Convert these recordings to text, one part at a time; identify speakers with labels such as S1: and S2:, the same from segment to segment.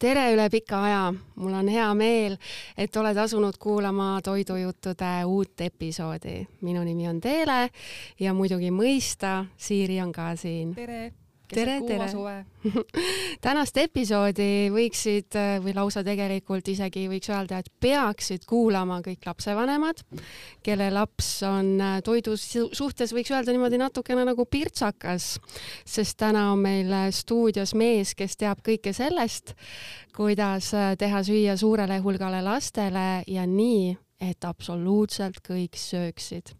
S1: Tere üle pika aja! Mul on hea meel, et oled asunud kuulama Toidujuttude uut episoodi. Minu nimi on Teele ja muidugi mõista, Siiri on ka siin.
S2: Tere!
S1: Tere! Tänast episoodi võiksid või lausa tegelikult isegi võiks öelda, et peaksid kuulama kõik lapsevanemad, kelle laps on toidu suhtes võiks öelda niimoodi natukene nagu pirtsakas, sest täna on meil stuudios mees, kes teab kõike sellest, kuidas teha süüa suurele hulgale lastele ja nii, et absoluutselt kõik sööksid.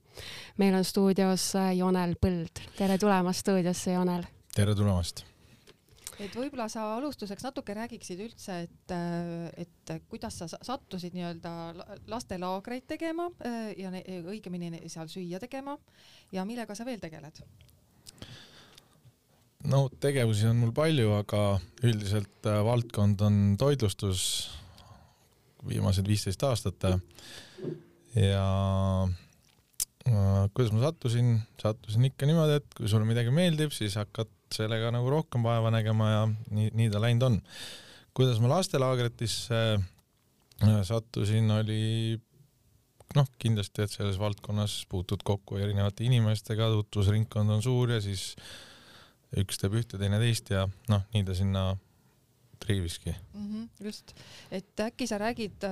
S1: Meil on stuudios Jonel Põld. Tere tulemast stuudiosse, Jonel!
S3: Tere tulemast!
S2: Et võib-olla sa alustuseks natuke räägiksid üldse, et kuidas sa sattusid nii-öelda lastelaagreid tegema ja õigemini seal süüa tegema ja millega sa veel tegeled?
S3: No tegevusi on mul palju, aga üldiselt valdkond on toitlustus viimased 15 aastat ja kuidas ma sattusin ikka niimoodi, et kui sulle midagi meeldib, siis hakkad sellega nagu rohkem vaeva nägema ja nii ta läinud on. Kuidas ma lastelaagritisse sattusin, oli kindlasti, et selles valdkonnas puutud kokku erinevate inimestega, tutvusringkond on suur ja siis üks teeb ühte, teine teist ja nii ta sinna triiviski.
S2: Just, et äkki sa räägid,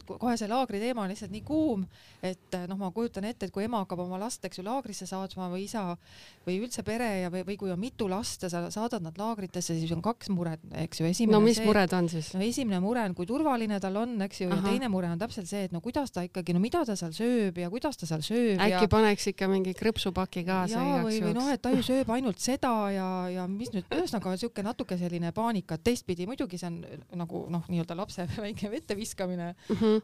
S2: kohe see laagri teema on lihtsalt nii kuum, et ma kujutan ette, et kui ema hakkab oma last laagrisse saatma või isa või üldse pere või kui on mitu last ja sa saadad nad laagritesse, siis on kaks mured, eks ju.
S1: Mis mured on siis?
S2: Esimene mure on, kui turvaline tal on, eks ju, ja teine mure on täpselt see, et kuidas ta ikkagi, mida ta seal sööb ja kuidas ta seal sööb.
S1: Äkki paneks ikka mingi krõpsupaki kaasa
S2: või et ta ju sööb ainult seda ja mis nüüd ühesõnaga on siuke natuke selline paanika, teistpidi muidugi see on nagu nii-öelda lapse väike vette viskamine,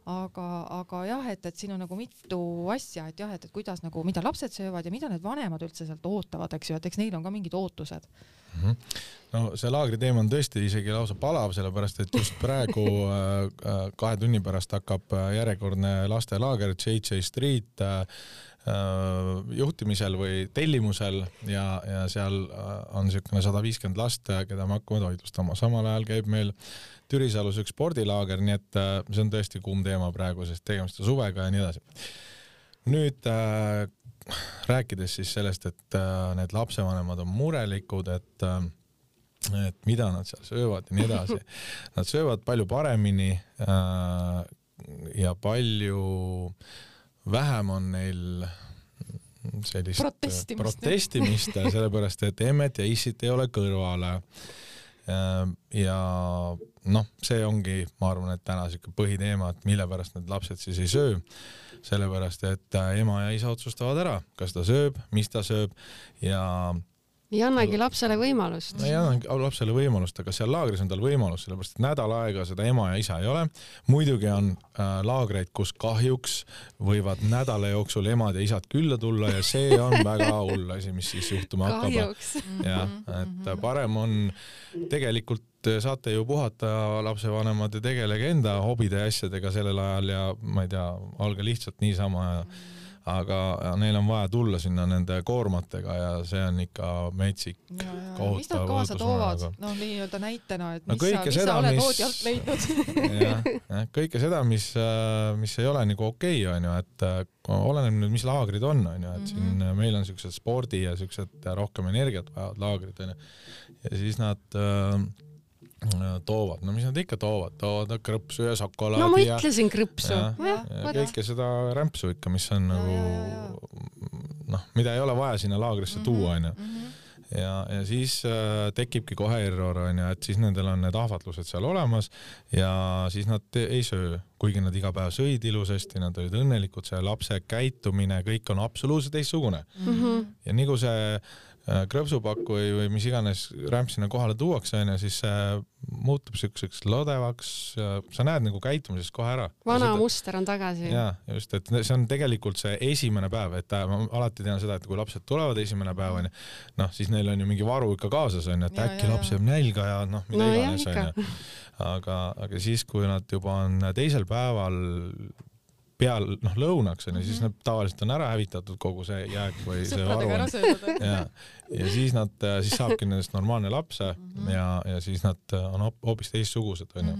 S2: aga jah, et siin on nagu mitu asja, et jah, et kuidas nagu, mida lapsed söövad ja mida need vanemad üldse sealt ootavad, eks ju, et eks neil on ka mingid ootused.
S3: No see laagri teema on tõesti isegi lausa palav, sellepärast et just praegu 2 tunni pärast hakkab järjekordne lastelaager JJ Street juhtimisel või tellimusel ja seal on niisugune 150 last, keda me hakkame toitlustama. Samal ajal käib meil Türisalus üks spordilaager, nii et see on tõesti kuum teema praegu, sest tegemist suvega ja nii edasi. Nüüd rääkides siis sellest, et need lapsevanemad on murelikud, et mida nad seal söövad ja nii edasi. Nad söövad palju paremini ja palju vähem on neil sellist protestimist, sellepärast et emmet ja issit ei ole kõrvale. Ja see ongi, ma arvan, et täna siuke põhiteema, et mille pärast need lapsed siis ei söö. Sellepärast, et ema ja isa otsustavad ära, kas ta sööb, mis ta sööb ja
S1: annagi lapsele võimalust.
S3: Ei annagi lapsele võimalust, aga seal laagris on tal võimalus, sellepärast et nädal aega seda ema ja isa ei ole. Muidugi on laagreid, kus kahjuks võivad nädala jooksul emad ja isad külla tulla ja see on väga hull asi, mis siis juhtuma hakkab.
S1: Kahjuks.
S3: Ja, et parem on tegelikult saate ju puhata lapsevanemad ja tegelege enda hobide ja asjadega sellel ajal ja ma ei tea, olge lihtsalt niisama aga neil on vaja tulla sinna nende koormatega ja see on ikka metsik kohutav.
S2: Mis nad kaasa toovad? Nii-öelda näitena, et mis sa oled oodjalt leidnud?
S3: Kõike seda, mis ei ole nagu okei, on ju, et oleneb nüüd, mis laagrid on, et siin meil on siuksed spordi ja siuksed rohkem energiat vajavad laagrid, ja siis nad toovad. Mis nad ikka toovad? Toovad krõpsu ja šokolaadi.
S1: No ma ütlesin krõpsu.
S3: Ja kõike seda rämpsu ikka, mis on nagu, mida ei ole vaja sinna laagrisse tuua, on ju. Ja siis tekibki kohe error, on ju, et siis nendel on need ahvatlused seal olemas ja siis nad ei söö. Kuigi nad iga päev sõid ilusasti, nad olid õnnelikud, see lapse käitumine, kõik on absoluutselt teistsugune. Ja nagu see krõpsupakku või mis iganes rämp sinna kohale tuuakse, siis see muutub siukseks lodevaks, sa näed nagu käitumises kohe ära.
S1: Vana muster on tagasi.
S3: Ja, just, et see on tegelikult see esimene päev, et ma alati tean seda, et kui lapsed tulevad esimene päev, siis neil on ju mingi varu ikka kaasas, et äkki laps jääb nälga ja mida iganes. Aga siis, kui nad juba on teisel päeval peal lõunaks on ja siis nad tavaliselt on ära hävitatud kogu see jääk või see varu. Ja siis siis saabki nendest normaalne lapse ja siis nad on hoopis teistsugused onju.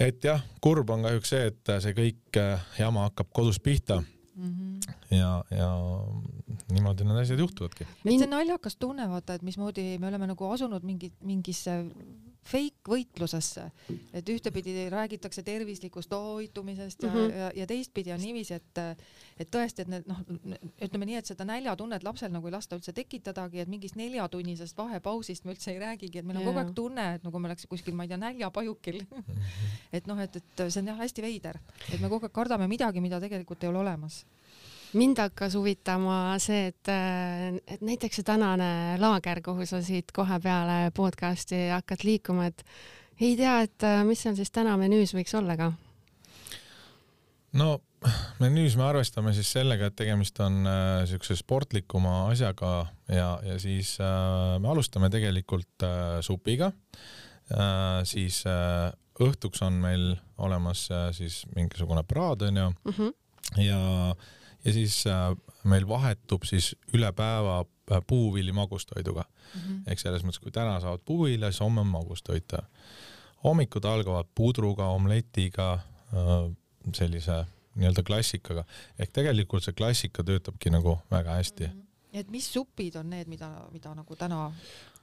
S3: Et jah, kurb on kahjuks see, et see kõik jama hakkab kodus pihta. Ja niimoodi need asjad juhtuvadki.
S2: See naljakas tunne, vaata, et mismoodi me oleme nagu asunud mingisse fake võitlusesse, et ühtepidi räägitakse tervislikust toitumisest ja teistpidi on niiviisi, et tõesti, et need, ütleme nii, et seda näljatunnet lapsel nagu ei lasta üldse tekitadagi, et mingist 4-tunnisest vahepausist me üldse ei räägigi, et meil on kogu aeg tunne, et nagu me oleks kuskil, ma ei tea, näljapajukil. Et see on jah hästi veider, et me kogu aeg kardame midagi, mida tegelikult ei ole olemas.
S1: Mind hakkas huvitama see, et näiteks see tänane laager, kuhu sa siit kohe peale podcasti hakkad liikuma, et ei tea, et mis seal siis täna menüüs võiks olla ka?
S3: No menüüs me arvestame siis sellega, et tegemist on niisuguse sportlikuma asjaga ja siis me alustame tegelikult supiga, siis õhtuks on meil olemas siis mingisugune praad on ju ja siis meil vahetub siis üle päeva puuvilli magustoiduga. Ehk selles mõttes, kui täna saavad puuvilja, siis homme on magustoita. Hommikud algavad pudruga, omletiga, sellise nii-öelda klassikaga. Ehk tegelikult see klassika töötabki nagu väga hästi.
S2: Et mis supid on need, mida nagu täna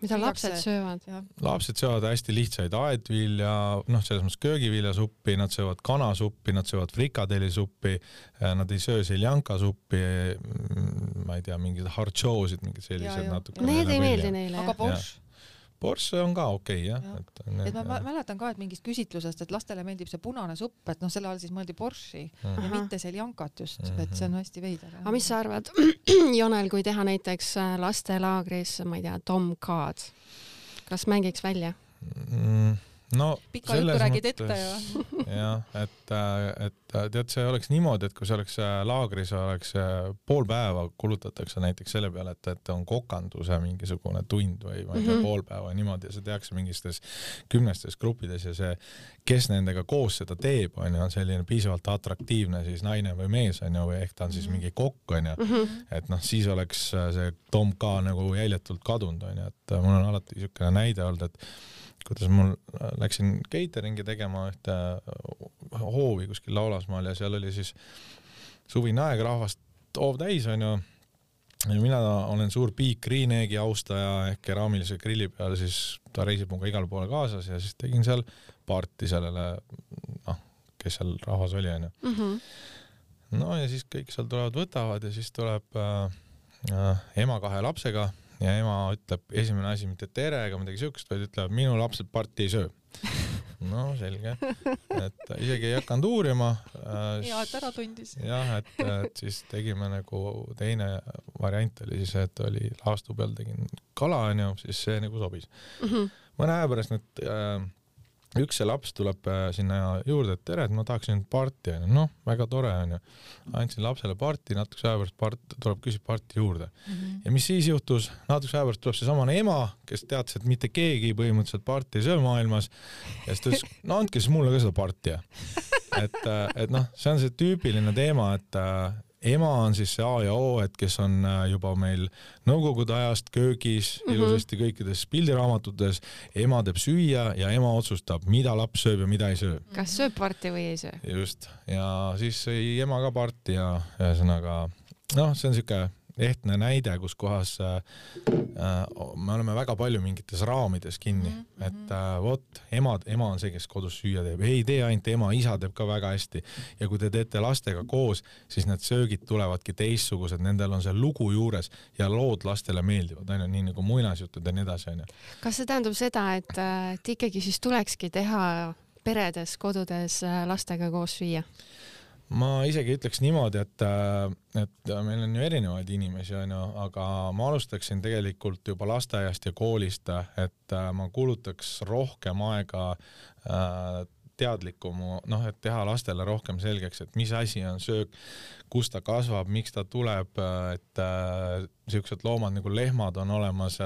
S1: mida lapsed söövad?
S3: Lapsed söövad hästi lihtsaid aedvilja, selles mõttes köögiviljasuppi, nad söövad kanasuppi, nad söövad frikadelisuppi, nad ei söö seljankasuppi, ma ei tea, mingid hartšoosid, mingid sellised natuke.
S1: Need ei meeldi neile.
S2: Aga borš?
S3: Borš on ka okei, jah.
S2: Et ma mäletan ka, et mingist küsitlusest, et lastele meeldib see punane supp, et selle all siis mõeldi borši ja mitte seljankat just, et see on hästi veider.
S1: Aga mis sa arvad, Jonel, kui teha näiteks lastelaagris, ma ei tea, Tom Cod, kas mängiks välja?
S3: No,
S2: pika juttu räägid ette ja.
S3: Jah, et tead, see oleks niimoodi, et kui see oleks laagris, oleks pool päeva kulutatakse näiteks selle peale, et on kokanduse mingisugune tund või ma ei tea, pool päeva niimoodi ja see tehakse mingistes 10 gruppides ja see, kes nendega koos seda teeb, on selline piisavalt atraktiivne siis naine või mees, või ehk ta on siis mingi kokk, et siis oleks see Tom K nagu jäljetult kadunud, et mul on alati niisugune näide olnud, et kuidas mul läksin cateringi tegema ühte hoovi kuskil Laulasmaal ja seal oli siis suvine aeg, rahvast hoov täis on ju. Ja mina olen suur Big Green Egg'i austaja ehk keraamilise grilli peal, siis ta reisib muga igal poole kaasas ja siis tegin seal parti sellele, kes seal rahvas oli on ju. No ja siis kõik seal tulevad, võtavad ja siis tuleb ema 2 lapsega ja ema ütleb esimene asi mitte tere ega midagi siukest, vaid ütleb, minu lapsed parti ei söö. No selge, et isegi ei hakanud uurima.
S2: Ja, et ära tundis.
S3: Jah, et siis tegime nagu teine variant oli siis, et oli laastu peal tegin kala, siis see nagu sobis. Mõne aja pärast nüüd üks see laps tuleb sinna juurde, et tere, et ma tahaksin parti, väga tore on ju. Andsin lapsele parti, natuke aja pärast tuleb küsib parti juurde. Ja mis siis juhtus? Natuke aja pärast tuleb see samane ema, kes teadis, et mitte keegi põhimõtteliselt parti ei söö maailmas ja siis ta ütles, andke siis mulle ka seda parti. Et see on see tüüpiline teema, et ema on siis see A ja O, et kes on juba meil nõukogude ajast köögis, ilusasti kõikides pildiraamatutes, ema teeb süüa ja ema otsustab, mida laps sööb ja mida ei söö.
S1: Kas sööb parti või ei söö?
S3: Just, ja siis sõi ema ka parti ja ühesõnaga, see on niisugune ehtne näide, kus kohas me oleme väga palju mingites raamides kinni, et ema on see, kes kodus süüa teeb, ei tee ainult ema, isa teeb ka väga hästi ja kui te teete lastega koos, siis need söögid tulevadki teistsugused, nendel on see lugu juures ja lood lastele meeldivad, nii nagu muinasjutud ja nii edasi.
S1: Kas see tähendab seda, et ikkagi siis tulekski teha peredes, kodudes lastega koos süüa?
S3: Ma isegi ütleks niimoodi, et meil on ju erinevaid inimesi, aga ma alustaksin tegelikult juba lasteaiast ja koolist, et ma kulutaks rohkem aega teadlikumu, et teha lastele rohkem selgeks, et mis asi on söök, kus ta kasvab, miks ta tuleb, et siuksed loomad nagu lehmad on olemas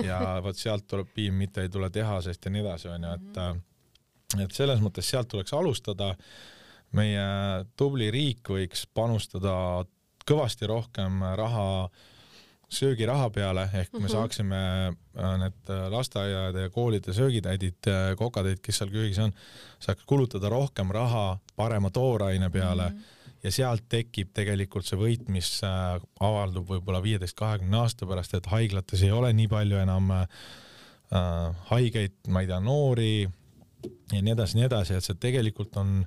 S3: ja võt sealt tuleb piim, mitte ei tule tehasest ja nii edasi, et selles mõttes sealt tuleks alustada. meie tubli riik võiks panustada kõvasti rohkem raha söögiraha peale, ehk me saaksime need lasteaiade ja koolide söögitäidid, kokatäid, kes seal köögis on, saaks kulutada rohkem raha parema tooraine peale ja sealt tekib tegelikult see võit, mis avaldub võib-olla 15-20 aasta pärast, et haiglates ei ole nii palju enam haigeid, ma ei tea, noori ja nii edasi, et see tegelikult on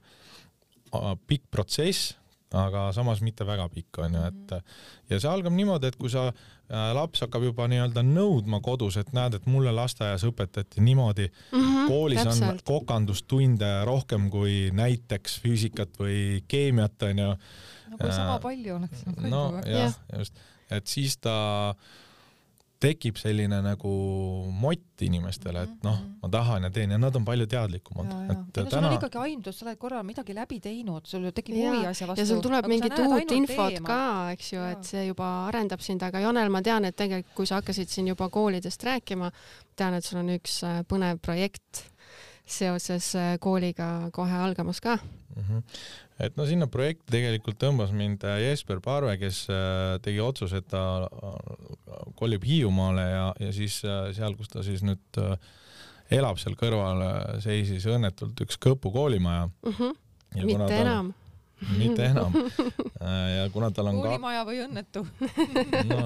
S3: pikk protsess, aga samas mitte väga pikk on ju, et ja see algab niimoodi, et kui sa laps hakkab juba nii-öelda nõudma kodus, et näed, et mulle lasteaias õpetati niimoodi, koolis on kokandustunde rohkem kui näiteks füüsikat või keemiat on ju.
S2: No kui sama palju oleks.
S3: No jah, just, et siis ta tekib selline nagu mott inimestele, et noh, ma tahan ja teen ja nad on palju teadlikumad.
S2: Ja sul on ikkagi aimdus, sa oled korral midagi läbi teinud, sul tekib huvi asja vastu.
S1: Ja sul tuleb mingit uut infot ka, eks ju, et see juba arendab sind, aga Jonel, ma tean, et tegelikult kui sa hakkasid siin juba koolidest rääkima, tean, et sul on üks põnev projekt seoses kooliga kohe algamas ka.
S3: Et no sinna projekti tegelikult tõmbas mind Jesper Parve, kes tegi otsuse, et ta kolib Hiiumaale ja siis seal, kus ta siis nüüd elab seal kõrval, seisis õnnetult üks Kõpu koolimaja. Mitte enam. Ja kuna tal on
S2: koolimaja või õnnetu.
S3: No,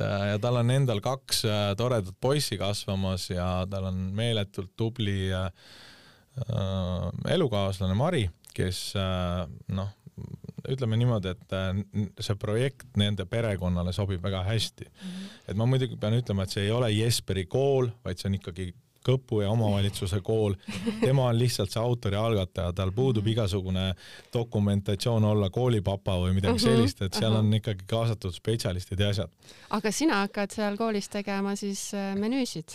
S3: ja tal on endal 2 toredat poissi kasvamas ja tal on meeletult tubli elukaaslane Mari, kes noh, ütleme niimoodi, et see projekt nende perekonnale sobib väga hästi. Et ma muidugi pean ütlema, et see ei ole Jesperi kool, vaid see on ikkagi Kõpu ja omavalitsuse kool. Tema on lihtsalt see autori algataja, tal puudub igasugune dokumentatsioon olla koolipapa või midagi sellist, et seal on ikkagi kaasatud spetsialistid ja asjad.
S1: Aga sina hakkad seal koolis tegema siis menüüsid?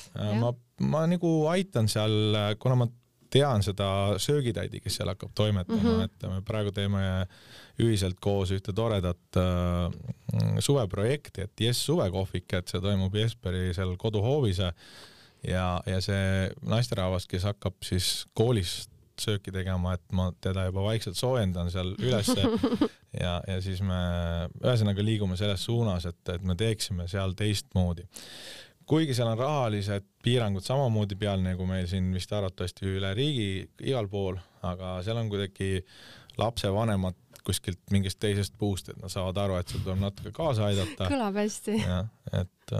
S3: Ma nagu aitan seal, kuna ma tean seda söögitäidi, kes seal hakkab toimetama, et me praegu teeme ühiselt koos ühte toredat suveprojekti, et Jess suvekohvik, et see toimub Jesperi seal koduhoovis ja see naisterahvas, kes hakkab siis koolis sööki tegema, et ma teda juba vaikselt soojendan seal ülesse ja siis me ühesõnaga liigume selles suunas, et me teeksime seal teistmoodi. Kuigi seal on rahalised piirangud samamoodi peal, nagu meil siin vist arvatavasti üle riigi igal pool, aga seal on kuidagi lapsevanemad kuskilt mingist teisest puust, et nad saavad aru, et sul tuleb natuke kaasa aidata.
S1: Kõlab hästi.
S3: Ja, et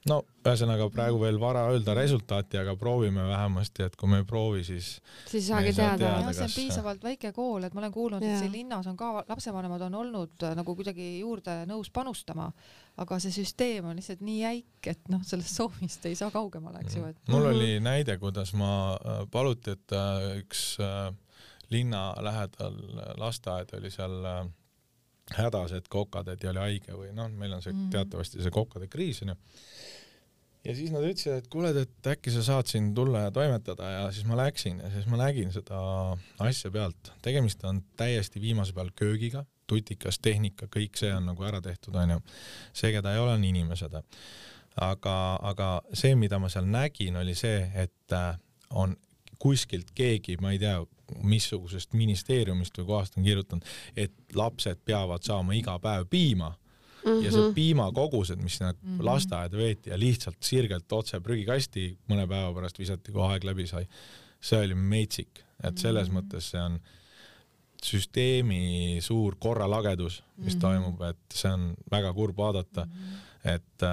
S3: no, ühesõnaga praegu veel vara öelda resultaati, aga proovime vähemasti, et kui me ei proovi, siis
S1: saagi teada.
S2: See on piisavalt väike kool, et ma olen kuulnud, et siin linnas on ka lapsevanemad on olnud nagu kuidagi juurde nõus panustama, aga see süsteem on lihtsalt nii jäik, et noh, sellest soovist ei saa kaugemale, eks ju.
S3: Mul oli näide, kuidas ma paluti, et üks linna lähedal lasteaed oli seal hädas, et kokkatädi oli haige või noh, meil on see teatavasti see kokkade kriis. Ja siis nad ütlesid, et kuule, et äkki sa saad siin tulla ja toimetada ja siis ma läksin ja siis ma nägin seda asja pealt. Tegemist on täiesti viimase peal köögiga, tutikas, tehnika, kõik see on nagu ära tehtud, on ju. See, keda ei ole, on inimesed. Aga see, mida ma seal nägin, oli see, et on kuskilt keegi, ma ei tea, missugusest ministeeriumist või kohast on kirjutanud, et lapsed peavad saama iga päev piima ja see piimakogused, mis lasteaeda veeti ja lihtsalt sirgelt otse prügikasti mõne päeva pärast visati, kui aeg läbi sai. See oli meitsik, et selles mõttes see on süsteemi suur korralagedus, mis toimub, et see on väga kurb vaadata, et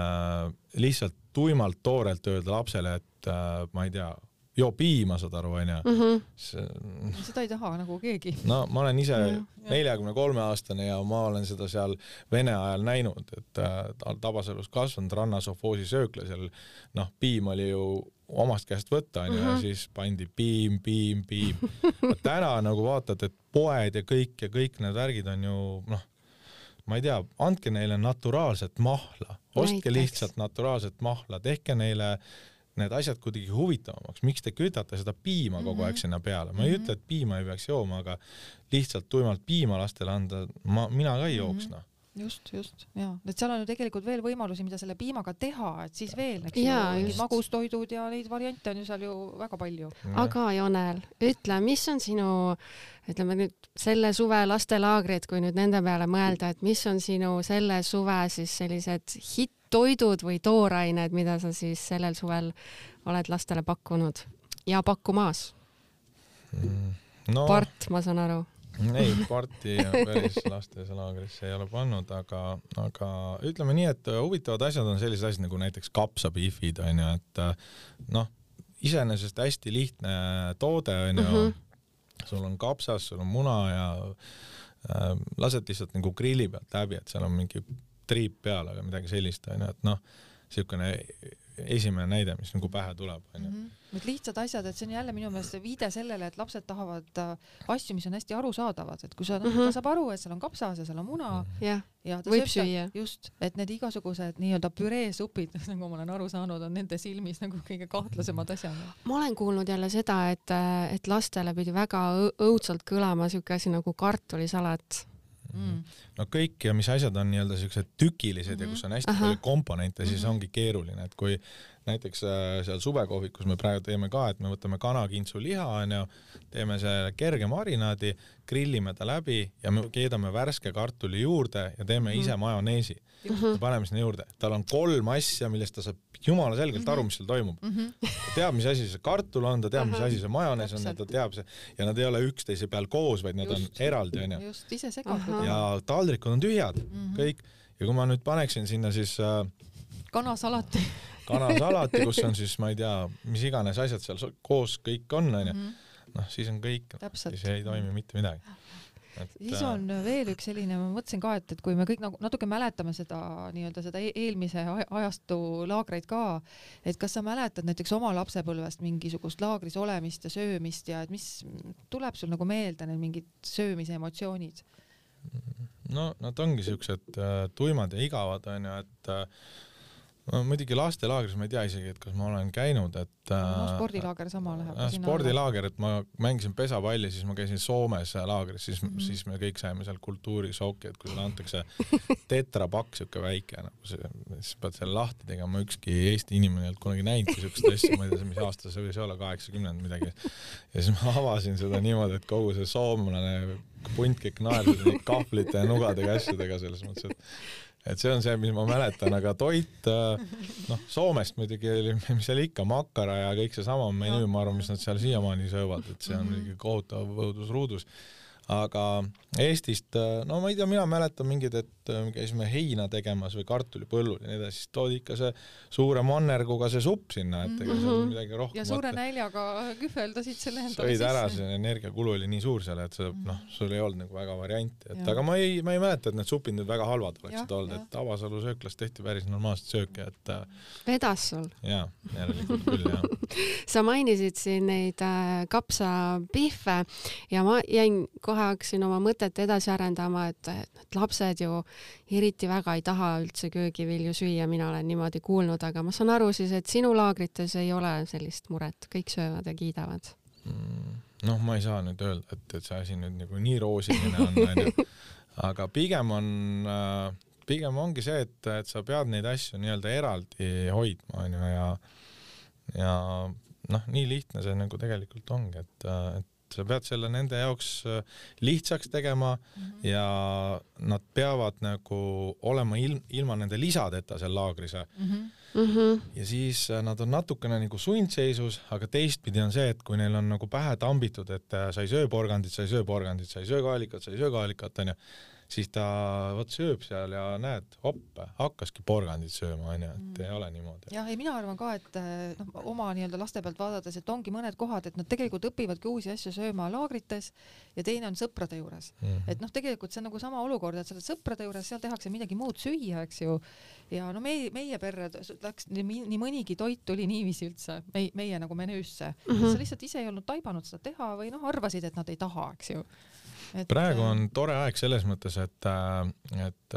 S3: lihtsalt tuimalt toorelt öelda lapsele, et ma ei tea, joo piima, saad aru, on ju.
S2: Seda ei taha nagu keegi.
S3: No ma olen ise 43-aastane ja ma olen seda seal Vene ajal näinud, et Tabasalus kasvanud rannasofoosi söökla seal, noh, piim oli ju omast käest võtta, on ju, ja siis pandi piim. Täna nagu vaatad, et poed ja kõik need värgid on ju, noh, ma ei tea, andke neile naturaalset mahla, ostke lihtsalt naturaalset mahla, tehke neile need asjad kuidagi huvitavamaks. Miks te kütate seda piima kogu aeg sinna peale? Ma ei ütle, et piima ei peaks jooma, aga lihtsalt tuimalt piima lastele anda, mina ka ei jooksna.
S2: just, ja. Et seal on ju tegelikult veel võimalusi, mida selle piimaga teha, et siis veel, eks
S1: ju,
S2: magustoidud ja neid variante on ju seal ju väga palju.
S1: Aga Jonel, ütle, mis on sinu, ütleme nüüd selle suve lastelaagrid, kui nüüd nende peale mõelda, et mis on sinu selle suve siis sellised hitt-toidud või toorained, mida sa siis sellel suvel oled lastele pakkunud ja pakkumaas?
S3: No,
S1: part, ma saan aru.
S3: Ei, parti päris lastelaagrisse ei ole pannud, aga ütleme nii, et huvitavad asjad on sellised asjad nagu näiteks kapsabiifid, on ju, et noh, iseenesest hästi lihtne toode, on ju, sul on kapsas, sul on muna ja lased lihtsalt nagu grilli pealt läbi, et seal on mingi triip peal, aga midagi sellist, on ju, et noh, niisugune esimene näide, mis nagu pähe tuleb.
S2: Need lihtsad asjad, et see on jälle minu meelest viide sellele, et lapsed tahavad asju, mis on hästi arusaadavad, et kui sa ta saab aru, et seal on kapsas ja seal on muna
S1: ja
S2: ta
S1: võib süüa.
S2: Just, et need igasugused nii-öelda püreesupid, nagu ma olen aru saanud, on nende silmis nagu kõige kahtlasemad asjad.
S1: Ma olen kuulnud jälle seda, et lastele pidi väga õudselt kõlama siuke asi nagu kartulisalat.
S3: No kõik ja mis asjad on nii-öelda siuksed tükilised ja kus on hästi palju komponente, siis ongi keeruline, et kui näiteks seal suvekohvikus me praegu teeme ka, et me võtame kanakintsu liha, teeme selle kerge marinaadi, grillime ta läbi ja me keedame värske kartuli juurde ja teeme ise majoneesi. Paneme sinna juurde. Tal on 3 asja, millest ta saab jumala selgelt aru, mis seal toimub. Ta teab, mis asi see kartul on, ta teab, mis asi see majonees on, ta teab see, ja nad ei ole üksteise peal koos, vaid nad on eraldi.
S2: Just, ise segatud.
S3: Ja taldrikud on tühjad, kõik. Ja kui ma nüüd paneksin sinna siis
S2: kanasalati,
S3: kus on siis, ma ei tea, mis iganes asjad seal koos kõik on, noh, siis on kõik, siis ei toimi mitte midagi.
S2: Siis on veel üks selline, ma mõtlesin ka, et kui me kõik natuke mäletame seda nii-öelda seda eelmise ajastu laagreid ka, et kas sa mäletad näiteks oma lapsepõlvest mingisugust laagris olemist ja söömist ja et mis tuleb sul nagu meelde need mingid söömise emotsioonid?
S3: No nad ongi siuksed tuimad ja igavad, on ju, et muidugi lastelaagris ma ei tea isegi, et kas ma olen käinud, et
S2: spordilaager sama läheb.
S3: Spordilaager, et ma mängisin pesapalli, siis ma käisin Soomes laagris, siis me kõik saime seal kultuurisooki, et kui sulle antakse tetrapakk siuke väike, siis pead selle lahti tegema, ükski Eesti inimene ei olnud kunagi näinud siukest asja, ma ei tea, mis aasta see võis olla, 80 midagi. Ja siis ma avasin seda niimoodi, et kogu see soomlane punt kõik naersid kahvlite ja nugadega asjadega selles mõttes, et see on see, mis ma mäletan, aga toit, noh, Soomest muidugi oli, mis seal ikka, makkara ja kõik see sama menüü, ma arvan, mis nad seal siiamaani söövad, et see on muidugi kohutav õudusruudus. Aga Eestist, no ma ei tea, mina mäletan mingid, et käisime heina tegemas või kartulipõllul ja nii edasi, siis toodi ikka see suure mannerguga see supp sinna, et ega seal midagi rohkem.
S2: Ja suure näljaga kühveldasid selle endale
S3: sisse. Sõid ära, see energiakulu oli nii suur seal, et see, noh, sul ei olnud nagu väga varianti, et aga ma ei mäleta, et need supid nüüd väga halvad oleksid olnud, et Avasalu sööklas tehti päris normaalset sööki, et
S1: vedas sul?
S3: Jaa, järelikult küll, jah.
S1: Sa mainisid siin neid kapsapihve ja ma jäin kohe hakkasin oma mõtet edasi arendama, et lapsed ju eriti väga ei taha üldse köögivilju süüa, mina olen niimoodi kuulnud, aga ma saan aru siis, et sinu laagrites ei ole sellist muret, kõik söövad ja kiidavad.
S3: Noh, ma ei saa nüüd öelda, et see asi nüüd nagu nii roosiline on, aga pigem ongi see, et sa pead neid asju nii-öelda eraldi hoidma, ja noh, nii lihtne see nagu tegelikult ongi, et sa pead selle nende jaoks lihtsaks tegema ja nad peavad nagu olema ilma nende lisadeta seal laagris. Ja siis nad on natukene nagu sundseisus, aga teistpidi on see, et kui neil on nagu pähe tambitud, et sa ei söö porgandit, sa ei söö porgandit, sa ei söö kaalikat, on ju, siis ta sööb seal ja näed, hopp, hakkaski porgandit sööma, on ju, et ei ole niimoodi.
S2: Ja mina arvan ka, et oma nii-öelda laste pealt vaadates, et ongi mõned kohad, et nad tegelikult õpivadki uusi asju sööma laagrites ja teine on sõprade juures. Et noh, tegelikult see on nagu sama olukord, et sa oled sõprade juures, seal tehakse midagi muud süüa, eks ju. Ja no meie perre läks nii mõnigi toit tuli niiviisi üldse, meie nagu menüüsse. Sa lihtsalt ise ei olnud taibanud seda teha või noh, arvasid, et nad ei taha, eks ju.
S3: Praegu on tore aeg selles mõttes, et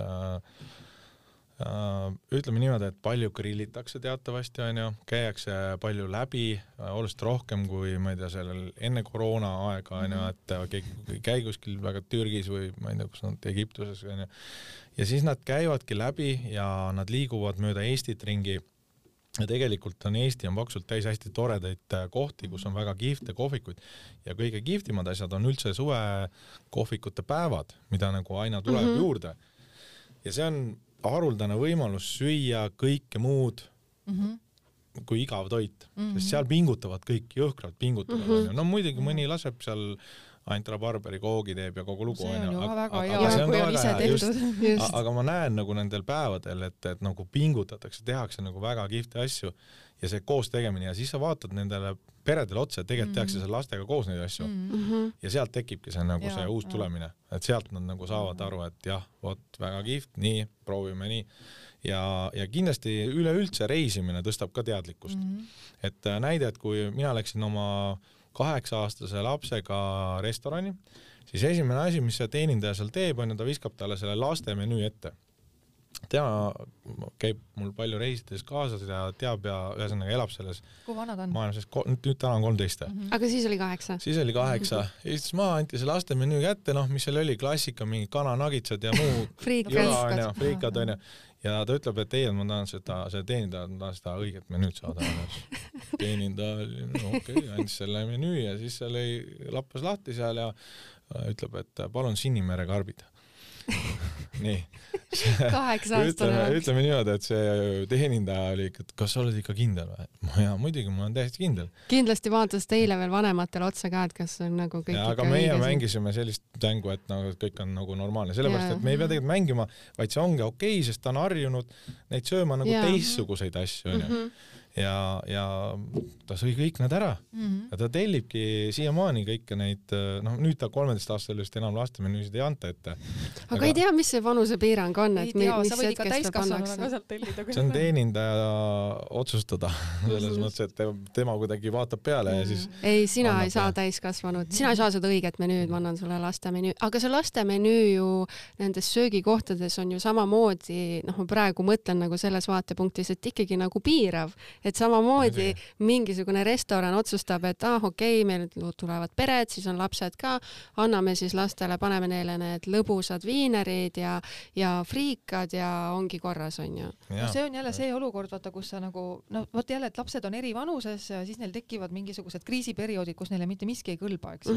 S3: ütleme niimoodi, et palju grillitakse teatavasti, on ju, käiakse palju läbi, oluliselt rohkem kui, ma ei tea, sellel enne koroona aega, on ju, et keegi käi kuskil väga Türgis või ma ei tea, kus nad Egiptuses, on ju. Ja siis nad käivadki läbi ja nad liiguvad mööda Eestit ringi. Ja tegelikult on Eesti on paksult täis hästi toredaid kohti, kus on väga kihvte kohvikuid ja kõige kihvtimad asjad on üldse suve kohvikute päevad, mida nagu aina tuleb juurde. Ja see on haruldane võimalus süüa kõike muud kui igav toit, sest seal pingutavad kõik, jõhkralt pingutavad. No muidugi mõni laseb seal Antra Barberi koogi teeb ja kogu lugu.
S2: See on ju väga hea, kui on ise tehtud.
S3: Aga ma näen nagu nendel päevadel, et nagu pingutatakse, tehakse nagu väga kihvte asju ja see koos tegemine ja siis sa vaatad nendele peredele otsa, et tegelikult tehakse seal lastega koos neid asju. Ja sealt tekibki see nagu see uus tulemine, et sealt nad nagu saavad aru, et jah, vot väga kihvt, nii, proovime nii. Ja kindlasti üleüldse reisimine tõstab ka teadlikkust. Et näide, et kui mina läksin oma 8-aastase lapsega restorani, siis esimene asi, mis see teenindaja seal teeb, on, ta viskab talle selle laste menüü ette. Tema käib mul palju reisides kaasas ja teab ja ühesõnaga elab selles maailmas, nüüd täna on 13.
S1: Aga siis oli 8?
S3: Siis oli 8. Istus maa, anti see laste menüü kätte, noh, mis seal oli, klassika, mingi kananagitsad ja muu friikad on ju. Ja ta ütleb, et ei, ma tahan see teenindaja, ma tahan seda õiget menüüd saada. Teenindaja, okei, andis selle menüü ja siis see lappas lahti seal ja ütleb, et palun Sinimere karbid. Nii.
S1: 8-aastane.
S3: Ütleme niimoodi, et see teenindaja oli, et kas sa oled ikka kindel või? Ja muidugi, ma olen täiesti kindel.
S1: Kindlasti vaatas teile veel vanematele otsa ka, et kas on nagu kõik
S3: ja, aga meie mängisime sellist mängu, et nagu kõik on nagu normaalne. Sellepärast, et me ei pea tegelikult mängima, vaid see ongi okei, sest ta on harjunud neid sööma nagu teistsuguseid asju. Ja ta sõi kõik need ära. Ja ta tellibki siiamaani kõike neid, noh nüüd ta 13-aastasel just enam laste menüüsid ei anta ette.
S1: Aga ei tea, mis see vanusepiirang on, et
S2: mis hetkest ta pannakse.
S3: See on teenindaja otsustada selles mõttes, et tema kuidagi vaatab peale ja siis
S1: ei, sina ei saa täiskasvanud, sina ei saa seda õiget menüüd, ma annan sulle laste menüü, aga see laste menüü ju nendes söögikohtades on ju samamoodi, noh ma praegu mõtlen nagu selles vaatepunktis, et ikkagi nagu piirav. Et samamoodi mingisugune restoran otsustab, et okei, meil tulevad pered, siis on lapsed ka, anname siis lastele, paneme neile need lõbusad viinerid ja friikad ja ongi korras, on ju.
S2: No see on jälle see olukord, vaata, kus sa nagu, no vot jälle, et lapsed on eri vanuses ja siis neil tekivad mingisugused kriisiperioodid, kus neile mitte miski ei kõlba, eks.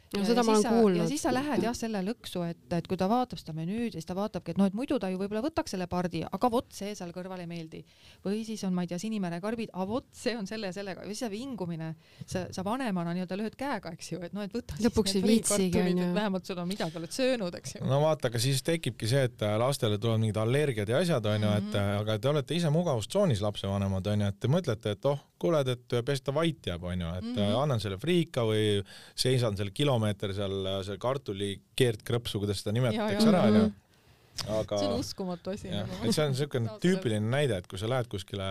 S1: No, seda ma olen kuulnud.
S2: Ja siis sa lähed jah selle lõksu, et kui ta vaatab seda menüüd ja siis ta vaatabki, et no, et muidu ta ju võib-olla võtaks selle pardi, aga vot see seal kõrval ei meeldi. Või siis on, ma ei tea, Sinimere karbid, aga vot see on selle ja sellega. Ja siis see vingumine, sa vanemana nii-öelda lõhed käega, eks ju, et no, et võta
S1: lõpuks siis need friikartulid,
S2: et vähemalt sul on midagi oled söönud, eks ju.
S3: No vaata, aga siis tekibki see, et lastele tulevad mingid allergiad ja asjad, on ju, et aga te olete ise mugavustsoonis lapsevanemad, on ju, et te mõtlete, et kuuled, et pes ta vait jääb, on ju, et annan selle friika või seisan selle kilomeeter seal kartuli keerdkrõpsu, kuidas seda nimetatakse ära, on ju. Aga
S2: see on uskumatu asi.
S3: See on selline tüüpiline näide, et kui sa lähed kuskile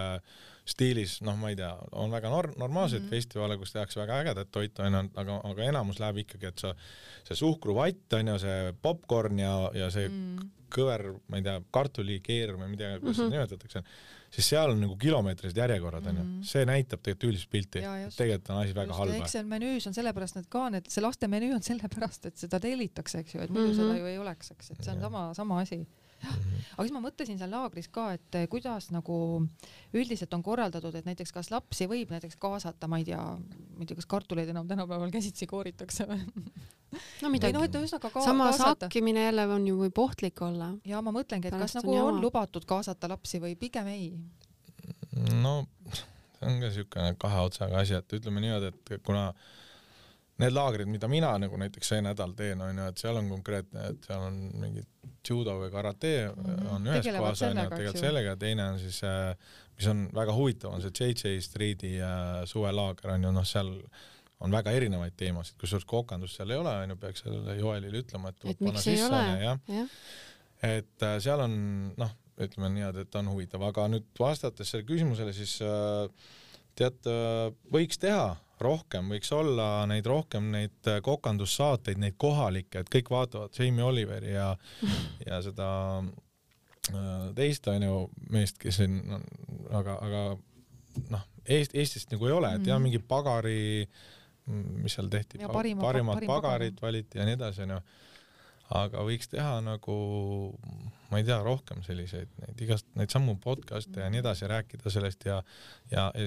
S3: stiilis, noh, ma ei tea, on väga normaalseid festivale, kus tehakse väga ägedat toitu, aga enamus läheb ikkagi, et see suhkruvatt, on ju, see popcorn ja see kõver, ma ei tea, kartuli keer või midagi, kuidas seda nimetatakse, siis seal on nagu kilomeetrised järjekorrad, on ju. See näitab tegelikult üldist pilti. Tegelikult on asi väga halba.
S2: Eks see menüüs on sellepärast, et ka see laste menüü on sellepärast, et seda tellitakse, eks ju, et muidu seda ju ei oleks, eks, et see on sama asi. Aga siis ma mõtlesin seal laagris ka, et kuidas nagu üldiselt on korraldatud, et näiteks kas lapsi võib näiteks kaasata, ma ei tea, kas kartuleid enam tänapäeval käsitsi kooritakse või?
S1: No midagi. Sama sakkimine jälle on ju võib ohtlik olla.
S2: Ja ma mõtlengi, et kas nagu on lubatud kaasata lapsi või pigem ei?
S3: No, see on ka siukene kahe otsaga asi, et ütleme niimoodi, et kuna need laagrid, mida mina nagu näiteks see nädal teen, on ju, et seal on konkreetne, et seal on mingi judo või karate on ühes kohas, on ju, tegelikult sellega, teine on siis, mis on väga huvitav, on see JJ Streeti suvelaager, on ju, noh, seal on väga erinevaid teemasid, kusjuures kokandust seal ei ole, on ju, peaks sellele Joelile ütlema, et
S1: miks ei ole?
S3: Et seal on, noh, ütleme niimoodi, et on huvitav, aga nüüd vastates selle küsimusele, siis tead, võiks teha rohkem, võiks olla neid rohkem neid kokandussaateid, neid kohalikke, et kõik vaatavad Jamie Oliveri ja seda teist meest, kes on, aga noh, Eestist nagu ei ole, et jah, mingi pagari, mis seal tehti, parimad pagarid valiti ja nii edasi, aga võiks teha nagu, ma ei tea, rohkem selliseid, neid sammu podcast'e ja nii edasi, rääkida sellest ja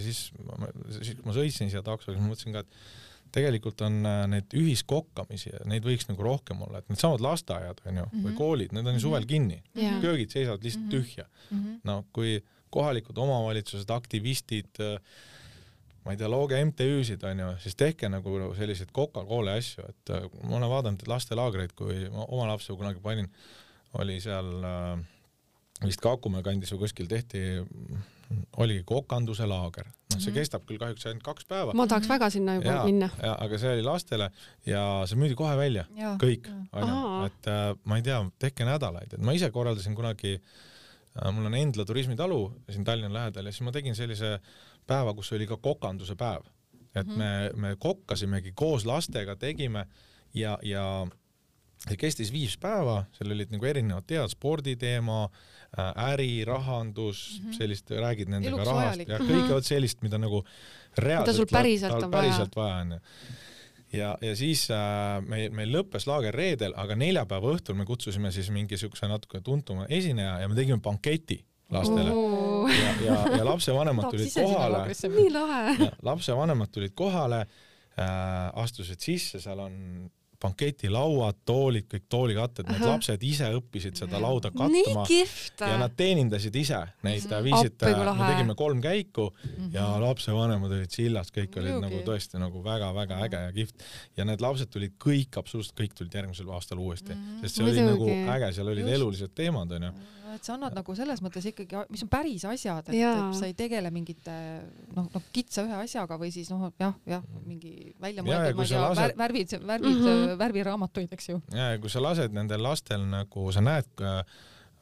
S3: siis kui ma sõitsin siia taksoga, siis ma mõtlesin ka, et tegelikult on need ühiskokkamisi ja neid võiks nagu rohkem olla, et need samad lasteaiad või koolid, need on ju suvel kinni, köögid seisavad lihtsalt tühja. No kui kohalikud omavalitsused, aktivistid, ma ei tea, looge MTÜ-sid, siis tehke nagu selliseid Coca-Cola asju, et ma olen vaadanud lastelaagreid, kui ma oma lapse kunagi panin, oli seal vist Kakumäe kandis või kuskil tehti, oligi kokanduse laager. See kestab küll kahjuks ainult 2 päeva.
S1: Ma tahaks väga sinna juba minna.
S3: Aga see oli lastele ja see müüdi kohe välja, kõik. Et ma ei tea, tehke nädalaid, et ma ise korraldasin kunagi, mul on Endla turismitalu siin Tallinna lähedal ja siis ma tegin sellise päeva, kus oli ka kokanduse päev. Et me kokkasimegi koos lastega, tegime ja see kestis 5 päeva, seal olid nagu erinevad tead, sporditeema, äri, rahandus, sellist, räägid nendega rahast ja kõike sellist, mida nagu reaalselt vaja on. Ja siis meil lõppes laager reedel, aga neljapäeva õhtul me kutsusime siis mingisuguse natuke tuntuma esineja ja me tegime banketi lastele. Ja lapsevanemad tulid kohale.
S1: Nii lahe.
S3: Lapsevanemad tulid kohale, astusid sisse, seal on banketilauad, toolid, kõik toolikatted, need lapsed ise õppisid seda lauda kattuma ja nad teenindasid ise neid, viisid, me tegime 3 käiku ja lapsevanemad olid sillas, kõik olid nagu tõesti nagu väga-väga äge ja kihvt ja need lapsed tulid kõik, absoluutselt kõik tulid järgmisel aastal uuesti, sest see oli nagu äge, seal olid elulised teemad,
S2: et sa annad nagu selles mõttes ikkagi, mis on päris asjad, et sa ei tegele mingite kitsa ühe asjaga või siis mingi välja mõeldud, värviraamatuid, eks ju.
S3: Ja kui sa lased nendel lastel nagu, sa näed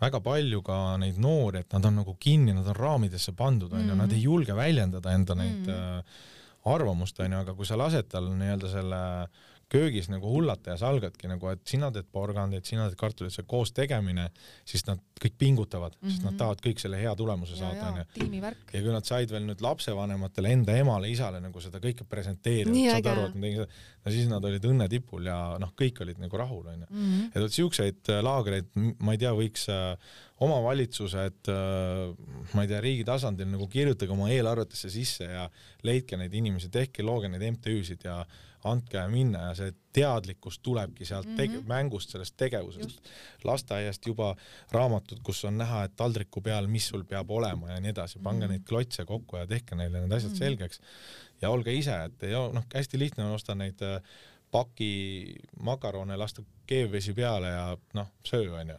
S3: väga palju ka neid noori, et nad on nagu kinni, nad on raamidesse pandud, nad ei julge väljendada enda neid arvamust, aga kui sa lased tal nii-öelda selle köögis nagu hullata ja salgadki nagu, et sina teed porgandeid, sina teed kartulit, see koos tegemine, siis nad kõik pingutavad, sest nad tahavad kõik selle hea tulemuse saada. Ja kui nad said veel nüüd lapsevanematele, enda emale, isale nagu seda kõike presenteerida, saad aru, et ma tegin seda, no siis nad olid õnnetipul ja kõik olid nagu rahul. Et siukseid laagreid, ma ei tea, võiks omavalitsused, ma ei tea, riigi tasandil nagu kirjutage oma eelarvetesse sisse ja leidke neid inimesi, tehke, looge neid MTÜ-sid ja andke minna ja see teadlikkus tulebki sealt mängust, sellest tegevusest. Lasteaiast juba raamatud, kus on näha, et taldriku peal, mis sul peab olema ja nii edasi. Pange neid klotse kokku ja tehke neile need asjad selgeks. Ja olge ise, et hästi lihtne on osta neid paki makarone, lasta keevvesi peale ja söö on ju.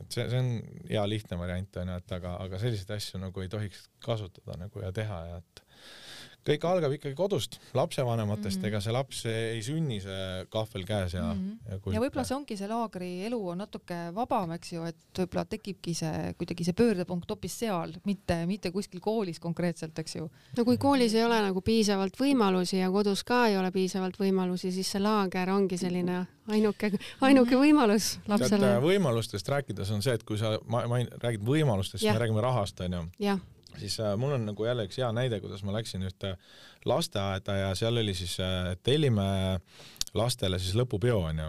S3: Et see on hea lihtne variant, aga selliseid asju nagu ei tohiks kasutada nagu ja teha ja et kõik algab ikkagi kodust, lapsevanematest, ega see laps ei sünni see kahvel käes ja
S2: võib-olla see ongi see laagri elu on natuke vabam, eks ju, et võib-olla tekibki see kuidagi see pöördepunkt hoopis seal, mitte kuskil koolis konkreetselt, eks ju.
S1: No kui koolis ei ole nagu piisavalt võimalusi ja kodus ka ei ole piisavalt võimalusi, siis see laager ongi selline ainuke võimalus lapsele.
S3: Võimalustest rääkides on see, et kui sa räägid võimalustest, siis me räägime rahast, on ju. Siis mul on nagu jälle üks hea näide, kuidas ma läksin ühte lasteaeda ja seal oli siis, tellime lastele siis lõpupeo, on ju.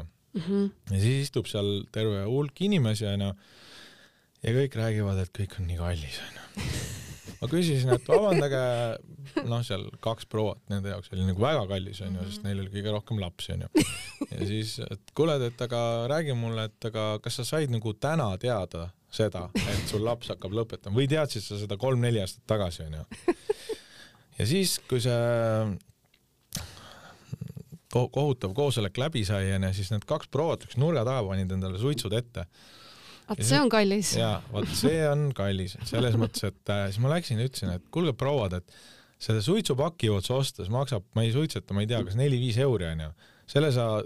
S3: Ja siis istub seal terve hulk inimesi, on ju. Ja kõik räägivad, et kõik on nii kallis, on ju. Ma küsisin, et vabandage, seal 2 prouat, nende jaoks oli nagu väga kallis, on ju, sest neil oli kõige rohkem lapsi, on ju. Ja siis, et kuule, et aga räägi mulle, et aga kas sa said nagu täna teada seda, et sul laps hakkab lõpetama või teadsid sa seda 3-4 aastat tagasi, on ju. Ja siis, kui see kohutav koosolek läbi sai, siis need 2 prouat üks nurga taha panid endale suitsud ette.
S1: See on kallis.
S3: Ja, see on kallis. Selles mõttes, et siis ma läksin ja ütlesin, et kuulge prouad, et selle suitsupaki otsa ostas maksab, ma ei suitseta, ma ei tea, kas 4-5 euri, on ju. Selle sa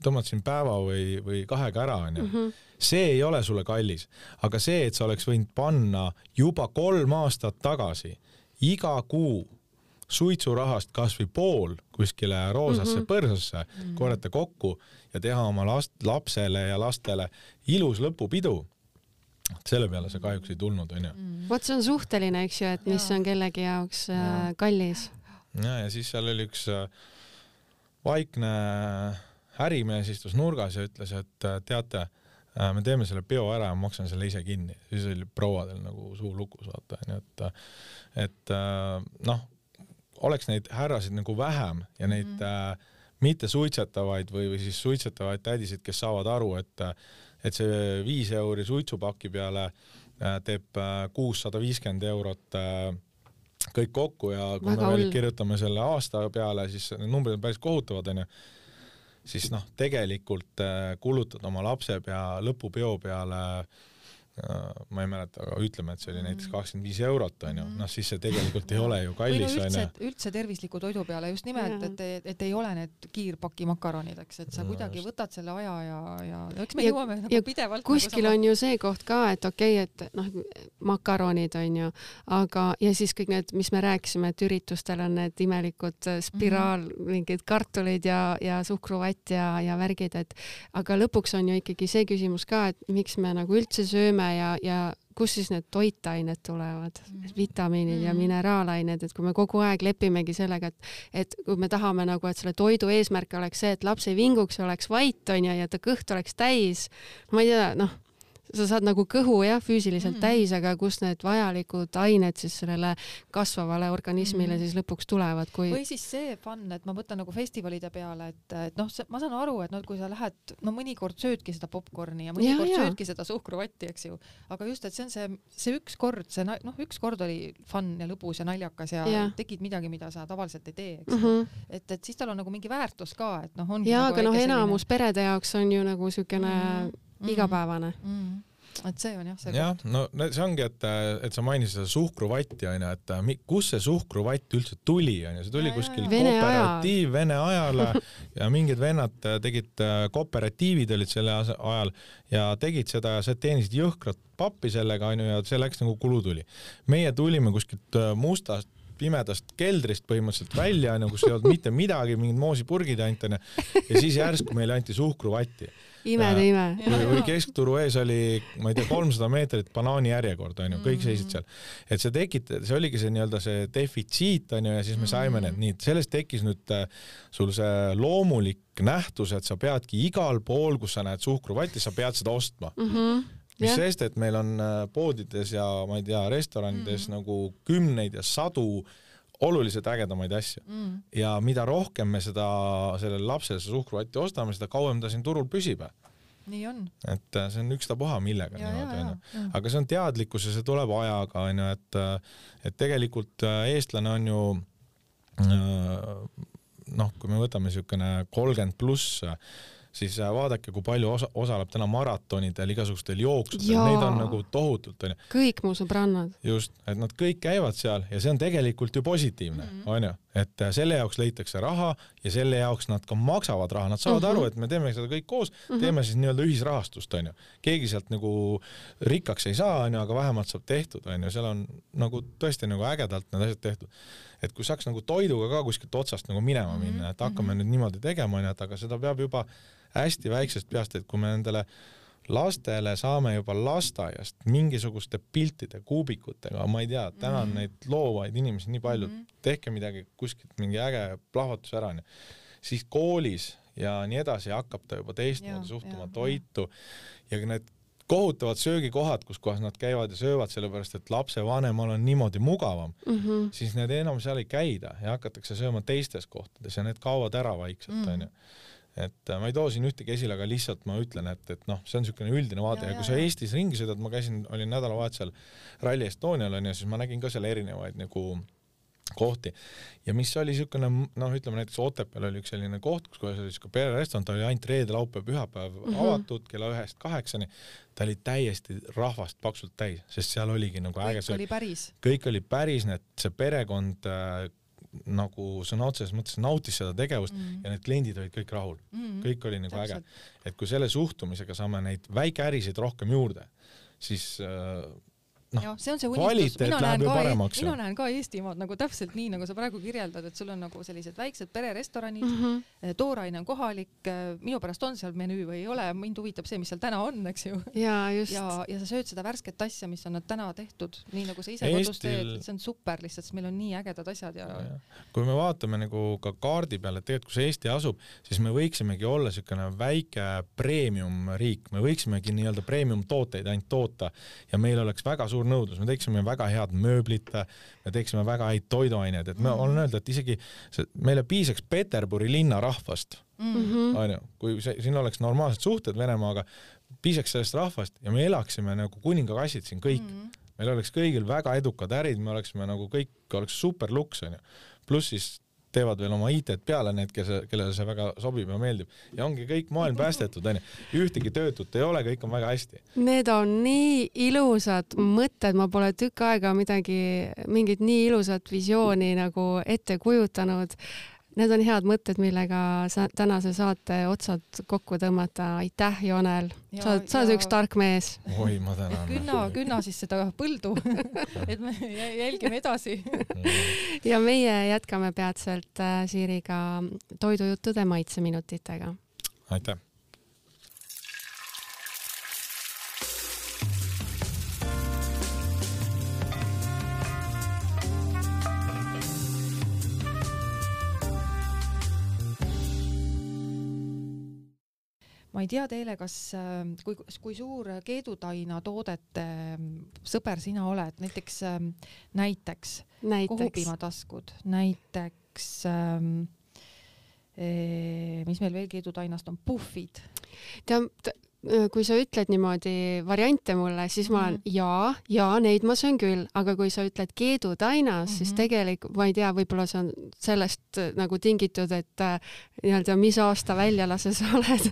S3: tõmbad siin päeva või 2 ära, on ju. See ei ole sulle kallis, aga see, et sa oleks võinud panna juba 3 aastat tagasi iga kuu suitsurahast kas või pool kuskile roosasse põrsasse, korjata kokku ja teha oma lapsele ja lastele ilus lõpupidu. selle peale see kahjuks ei tulnud, onju.
S1: Vot see on suhteline, eks ju, et mis on kellegi jaoks kallis.
S3: Ja siis seal oli üks vaikne ärimees istus nurgas ja ütles, et teate, me teeme selle peo ära ja maksan selle ise kinni. Siis oli prouadel nagu suu lukus, vaata, et oleks neid härrasid nagu vähem ja neid mitte suitsetavaid või siis suitsetavaid tädisid, kes saavad aru, et see 5 euri suitsupaki peale teeb 650 eurot kõik kokku ja kui me veel kirjutame selle aasta peale, siis numbrid on päris kohutavad, siis tegelikult kulutad oma lapse lõpupeo peale, ma ei mäleta, aga ütleme, et see oli näiteks 25 eurot, siis see tegelikult ei ole ju kallis.
S2: Üldse tervisliku toidu peale just nimelt, et ei ole need kiirpaki makaronid, et sa kuidagi võtad selle aja ja eks me jõuame nagu pidevalt.
S1: Kuskil on ju see koht ka, et okei, et makaronid on ju, aga ja siis kõik need, mis me rääkisime, et üritustel on need imelikud spiraal, mingid kartulid ja suhkruvatt ja värgid, aga lõpuks on ju ikkagi see küsimus ka, et miks me nagu üldse sööme ja kus siis need toitained tulevad, vitamiinid ja mineraalained, et kui me kogu aeg lepimegi sellega, et kui me tahame nagu, et selle toidu eesmärk oleks see, et laps ei vinguks, oleks vait on ja ta kõht oleks täis, ma ei tea, sa saad nagu kõhu füüsiliselt täis, aga kus need vajalikud ained siis sellele kasvavale organismile siis lõpuks tulevad, kui...
S2: Või siis see fun, et ma mõtlen nagu festivalide peale, et ma saan aru, et kui sa lähed, mõnikord söödki seda popcorni ja mõnikord söödki seda suhkruvatti, eks ju, aga just, et see on see üks kord oli fun ja lõbus ja naljakas ja tegid midagi, mida sa tavaliselt ei tee, eks et siis tal on nagu mingi väärtus ka, et on
S1: aga enamus perede jaoks on ju nagu sükene igapäevane.
S2: Et see on see
S3: koht. No see ongi, et sa mainisid seda suhkruvatti, et kus see suhkruvatt üldse tuli, see tuli kuskil Vene ajale ja mingid vennad tegid, kooperatiivid olid selle ajal ja tegid seda ja sa teenisid jõhkrat pappi sellega, ja see läks nagu kulu tuli. Meie tulime kuskilt mustast pimedast keldrist põhimõtteliselt välja, kus ei olnud mitte midagi, mingid moosipurgid ainult, ja siis järsku meile anti suhkruvatti.
S1: Ime.
S3: Või keskturu ees oli, ma ei tea, 300 meetrit banaani järjekord, kõik seisid seal. Et see oligi see nii-öelda see defitsiit, ja siis me saime need nii, sellest tekkis nüüd sul see loomulik nähtus, et sa peadki igal pool, kus sa näed suhkruvatti, sa pead seda ostma. Mis sest, et meil on poodides ja ma ei tea, restoranides nagu kümneid ja sadu oluliselt ägedamaid asju. Ja mida rohkem me sellele lapsele suhkruvatti ostame, seda kauem ta siin turul püsib.
S2: Nii on.
S3: Et see on ükstapuha millega. Aga see on teadlikkus ja see tuleb ajaga, et tegelikult eestlane on ju, kui me võtame niisugune 30+, siis vaadake, kui palju osaleb täna maratonidel, igasugustel jooksudel, neid on nagu tohutult.
S1: Kõik mu sõbrannad.
S3: Just, et nad kõik käivad seal ja see on tegelikult ju positiivne, on ju, et selle jaoks leitakse raha ja selle jaoks nad ka maksavad raha, nad saavad aru, et me teeme seda kõik koos, teeme siis nii-öelda ühisrahastust, on ju. Keegi sealt nagu rikkaks ei saa, on ju, aga vähemalt saab tehtud, on ju, seal on nagu tõesti nagu ägedalt need asjad tehtud. Et kui saaks nagu toiduga ka kuskilt otsast nagu minema minna, et hakkame nüüd niimoodi tegema, aga seda peab juba hästi väiksest peast, et kui me nendele lastele saame juba lasteaiast mingisuguste piltide, kuubikutega, ma ei tea, täna on neid loovaid inimesi nii palju, tehke midagi kuskilt mingi äge plahvatus ära, siis koolis ja nii edasi hakkab ta juba teistmoodi suhtuma toitu ja need kohutavad söögikohad, kus kohas nad käivad ja söövad sellepärast, et lapsevanemal on niimoodi mugavam, siis need enam seal ei käida ja hakatakse sööma teistes kohtades ja need kaovad ära vaikselt, on ju. Et ma ei too siin ühtegi esile, aga lihtsalt ma ütlen, et see on niisugune üldine vaade ja kui sa Eestis ringi sõidad, ma olin nädalavahetusel Rally Estonial ja siis ma nägin ka seal erinevaid nagu kohti ja mis oli niisugune, ütleme näiteks Otepääl oli üks selline koht, kus oli niisugune pererestorant, ta oli ainult reede, laupäev, pühapäev avatud kella 1-8, ta oli täiesti rahvast paksult täis, sest seal oligi nagu äge kõik oli päris, see perekond nagu sõna otseses mõttes nautis seda tegevust ja need kliendid olid kõik rahul. Kõik oli nagu äge. Et kui selle suhtumisega saame neid väikeärisid rohkem juurde, siis
S2: see on see unistus. Mina näen ka Eestimaad nagu täpselt nii, nagu sa praegu kirjeldad, et sul on nagu sellised väiksed pererestoranid, tooraine on kohalik, minu pärast on seal menüü või ei ole, mind huvitab see, mis seal täna on, eks ju.
S1: Ja
S2: sa sööd seda värsket asja, mis on nad täna tehtud, nii nagu sa ise kodus teed, see on super lihtsalt, sest meil on nii ägedad asjad ja.
S3: Kui me vaatame nagu ka kaardi peale, et tegelikult kus Eesti asub, siis me võiksimegi olla selline väike premium riik, me võiksimegi nii-öelda premium tooteid ainult toota ja meil oleks väga suur nõudlus, me teeksime väga head mööblit, me teeksime väga häid toiduaineid, et me olen öelda, et isegi meile piisaks Peterburi linna rahvast, kui siin oleks normaalsed suhted Venemaaga, piisaks sellest rahvast ja me elaksime nagu kuningakassid siin kõik. Meil oleks kõigil väga edukad ärid, me oleksime nagu kõik, oleks super luks, pluss siis teevad veel oma IT-d peale need, kellele see väga sobib ja meeldib. Ja ongi kõik maailm päästetud, ühtegi töötut ei ole, kõik on väga hästi.
S1: Need on nii ilusad mõtted, ma pole tükk aega mingit nii ilusat visiooni nagu ette kujutanud. Need on head mõtted, millega tänase saate otsad kokku tõmmata. Aitäh, Jonel. Sa oled üks tark mees.
S3: Oi, ma tänan.
S2: Künna siis seda põldu, et me jälgime edasi.
S1: Ja meie jätkame peatselt Siiriga toidujuttude maitseminutitega.
S3: Aitäh.
S2: Ma ei tea teile, kui suur keedutaina toodete sõber sina oled, näiteks kohupiimataskud, näiteks mis meil veel keedutainast on, puffid.
S1: Kui sa ütled niimoodi variante mulle, siis ma olen ja neid ma söön küll, aga kui sa ütled keedutainas, siis tegelikult, ma ei tea, võib-olla see on sellest nagu tingitud, et nii-öelda mis aasta väljalase sa oled,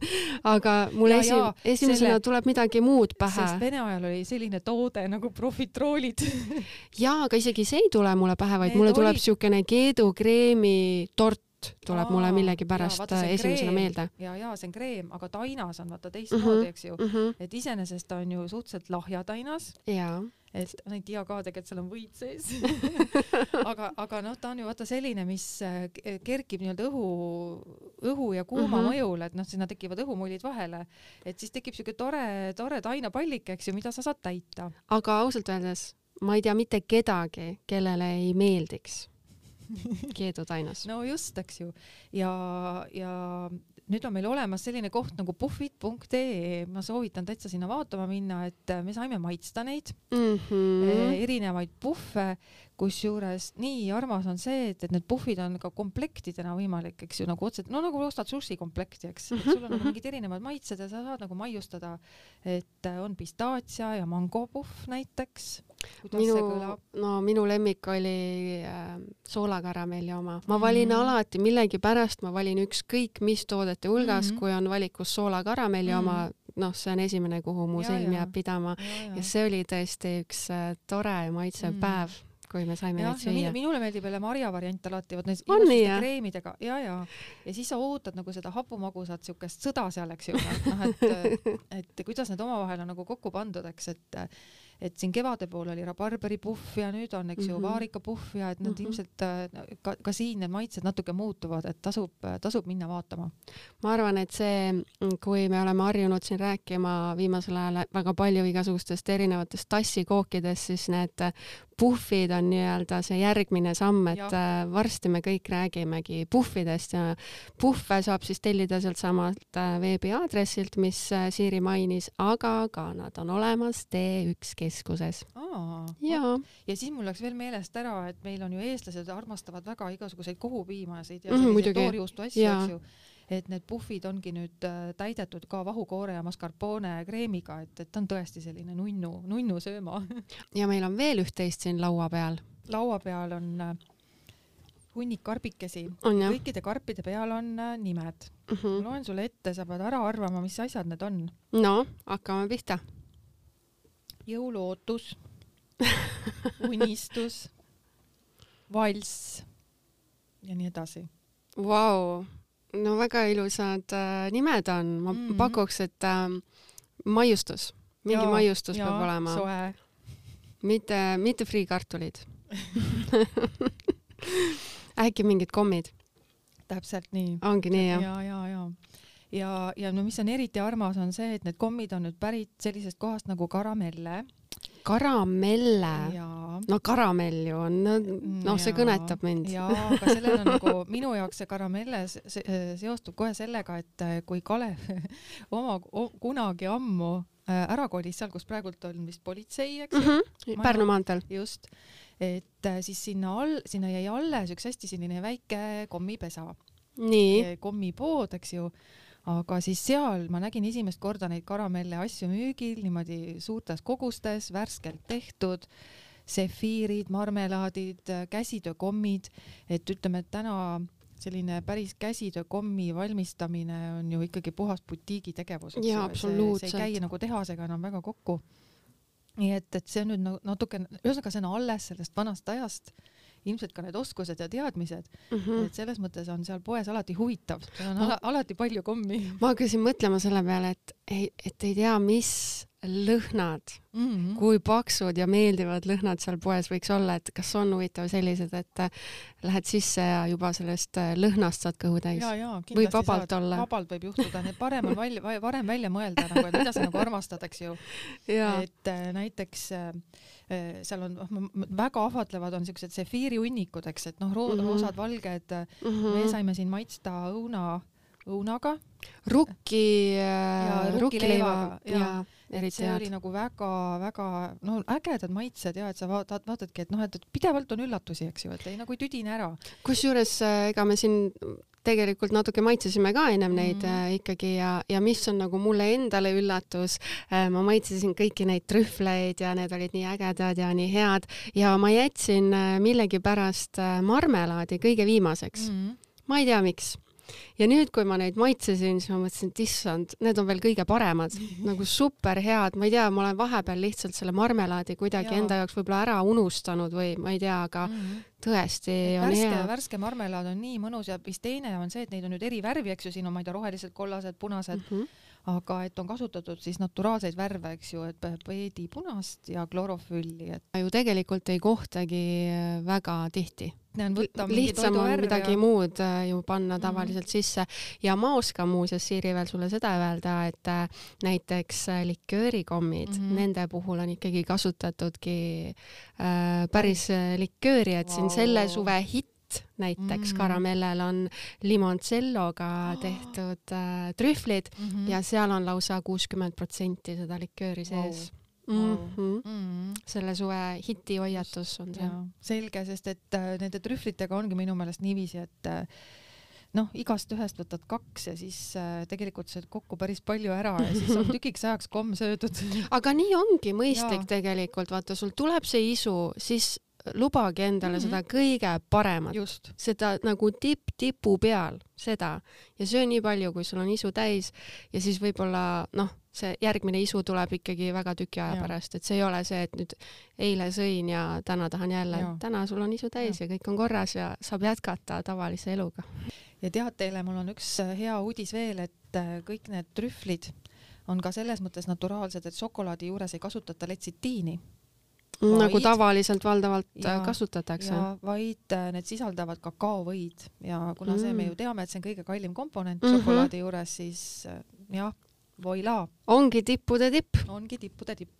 S1: aga mul esimesena tuleb midagi muud pähe.
S2: Sest Vene ajal oli selline toode nagu profitroolid.
S1: Ja, aga isegi see ei tule mulle pähe, vaid mulle tuleb siukene keedukreemi tort. Tuleb mulle millegi pärast esimesena meelde.
S2: Ja, see on kreem, aga tainas on vaata teistmoodi, eks ju. Et iseenesest on ju suhteliselt lahja tainas. Et ma ei tea ka tegelikult seal on võit sees. aga ta on ju vaata selline, mis kerkib nii-öelda õhu ja kuuma mõjul, et sinna tekivad õhumullid vahele. Et siis tekib siuke tore tainapallik, eks ju, mida sa saad täita.
S1: Aga ausalt öeldes, ma ei tea mitte kedagi, kellele ei meeldiks keedutainas.
S2: No just, eks ju. Ja nüüd on meil olemas selline koht nagu puffid.ee. Ma soovitan täitsa sinna vaatama minna, et me saime maitsta neid erinevaid puffe, kusjuures nii armas on see, et need puffid on ka komplektidena võimalik, eks ju, nagu otseselt, nagu ostad sushi komplekti, eks. Et sul on nagu mingid erinevad maitsed ja sa saad nagu maiustada, et on pistaatsia ja mangopuff näiteks.
S1: Minu lemmik oli soolakaramelli oma. Ma valin alati millegi pärast, ma valin ükskõik mis toodete hulgas, kui on valikus soolakaramelli oma, see on esimene, kuhu mu silm jääb pidama. Ja see oli tõesti üks tore maitsev päev, kui me saime neid süüa.
S2: Minule meeldib jälle marja variant alati, need ilususte kreemidega. Ja siis sa ootad nagu seda hapumagusat siukest sõda seal, eks ju. Et kuidas need omavahel on nagu kokku pandud, eks, et siin kevade pool oli rabarberi puff ja nüüd on, eks ju, vaarika puff ja et nad ilmselt ka siin need maitsed natuke muutuvad, et tasub minna vaatama.
S1: Ma arvan, et see, kui me oleme harjunud siin rääkima viimasel ajal väga palju igasugustest erinevatest tassikookidest, siis need puffid on nii-öelda see järgmine samm, et varsti me kõik räägimegi puffidest ja puffe saab siis tellida sealt samalt veebiaadressilt, mis Siiri mainis, aga ka nad on olemas T1 keskuses.
S2: Ja siis mul läks veel meelest ära, et meil on ju eestlased armastavad väga igasuguseid kohupiimasid ja selliseid toorjuustu asju, eks ju. Et need puffid ongi nüüd täidetud ka vahukoore ja mascarpone kreemiga, et on tõesti selline nunnu sööma.
S1: Ja meil on veel üht-teist siin laua peal.
S2: Laua peal on hunnik karbikesi. Kõikide karpide peal on nimed. Loen sulle ette, sa pead ära arvama, mis asjad need on.
S1: No, hakkame pihta.
S2: Jõuluootus, unistus, valss ja nii edasi.
S1: Vau! No väga ilusad nimed on. Ma pakuks, et maiustus. Mingi maiustus peab olema.
S2: Soe.
S1: mitte friikartulid. Äkki mingid kommid?
S2: Täpselt nii.
S1: Ongi nii,
S2: jah? Ja no mis on eriti armas, on see, et need kommid on nüüd pärit sellisest kohast nagu karamelle.
S1: Karamelle? No karamell ju on, no see kõnetab mind.
S2: Jaa, aga sellel on nagu, minu jaoks see karamelle seostub kohe sellega, et kui Kalev kunagi ammu ära kolis seal, kus praegult on vist politsei, eks?
S1: Pärnu maanteel.
S2: Just. Et siis sinna jäi alles üks hästi selline väike kommipesa.
S1: Nii.
S2: Kommipood, eks ju. Aga siis seal ma nägin esimest korda neid karamelle asju müügil, niimoodi suurtes kogustes, värskelt tehtud, sefiirid, marmelaadid, käsitöökommid, et ütleme, et täna selline päris käsitöökommi valmistamine on ju ikkagi puhas butiigi tegevus.
S1: Jaa, absoluutselt.
S2: See ei käi nagu tehasega enam väga kokku. Nii et see on nüüd natuke, ühesõnaga see on alles sellest vanast ajast, ilmselt ka need oskused ja teadmised, et selles mõttes on seal poes alati huvitav, seal on alati palju kommi.
S1: Ma hakkasin mõtlema selle peale, et ei tea, mis lõhnad, kui paksud ja meeldivad lõhnad seal poes võiks olla, et kas on huvitav sellised, et lähed sisse ja juba sellest lõhnast saad kõhu täis. Võib vabalt olla.
S2: Vabalt võib juhtuda, need parem välja mõelda, nagu, et mida sa nagu armastad, eks ju. Et näiteks seal on väga ahvatlevad on siuksed sefiiri hunnikud, eks, et roosad, valged, me saime siin maitsta õunaga.
S1: Rukkileiva.
S2: See oli nagu väga ägedad maitsed ja et sa vaatadki, et pidevalt on üllatusi, eks ju, et ei nagu tüdine ära.
S1: Kusjuures ega me siin tegelikult natuke maitsesime ka ennem neid ikkagi ja mis on nagu mulle endale üllatus, ma maitsesin kõiki neid trühvleid ja need olid nii ägedad ja nii head ja ma jätsin millegipärast marmelaadi kõige viimaseks. Ma ei tea, miks. Ja nüüd, kui ma neid maitsesin, siis ma mõtlesin, et issand, need on veel kõige paremad, nagu super head, ma ei tea, ma olen vahepeal lihtsalt selle marmelaadi kuidagi enda jaoks võib-olla ära unustanud või ma ei tea, aga tõesti on hea.
S2: Värske marmelaad on nii mõnus ja vist teine on see, et neid on nüüd eri värvi, eks ju, siin on ma ei tea, rohelised, kollased, punased, aga et on kasutatud siis naturaalseid värve, eks ju, et peedi punast ja klorofülli.
S1: Ju tegelikult ei kohtagi väga tihti.
S2: Lihtsam
S1: on midagi muud ju panna tavaliselt sisse ja ma oskan muuseas, Siiri, veel sulle seda öelda, et näiteks liköörikommid, nende puhul on ikkagi kasutatudki päris likööri, et siin selle suve hitt näiteks karamellel on limoncelloga tehtud trühvlid ja seal on lausa 60% seda likööri sees. Selle suve hiti hoiatus on see.
S2: Selge, sest et nende trühvlitega ongi minu meelest niiviisi, et igast ühest võtad 2 ja siis tegelikult sööd kokku päris palju ära ja siis on tükiks ajaks komm söödud.
S1: Aga nii ongi mõistlik tegelikult, vaata, sul tuleb see isu, siis lubagi endale seda kõige paremat.
S2: Just.
S1: Seda nagu tipu peal, seda. Ja söö nii palju, kui sul on isu täis ja siis võib-olla, see järgmine isu tuleb ikkagi väga tüki aja pärast, et see ei ole see, et nüüd eile sõin ja täna tahan jälle, et täna sul on isu täis ja kõik on korras ja saab jätkata tavalise eluga.
S2: Ja tead teile, mul on üks hea uudis veel, et kõik need trühvlid on ka selles mõttes naturaalsed, et šokolaadi juures ei kasutata letsitiini.
S1: Nagu tavaliselt valdavalt kasutatakse.
S2: Vaid need sisaldavad kakaovõid ja kuna see me ju teame, et see on kõige kallim komponent šokolaadi juures, siis voila.
S1: Ongi tippude tipp.
S2: Ongi tippude tipp.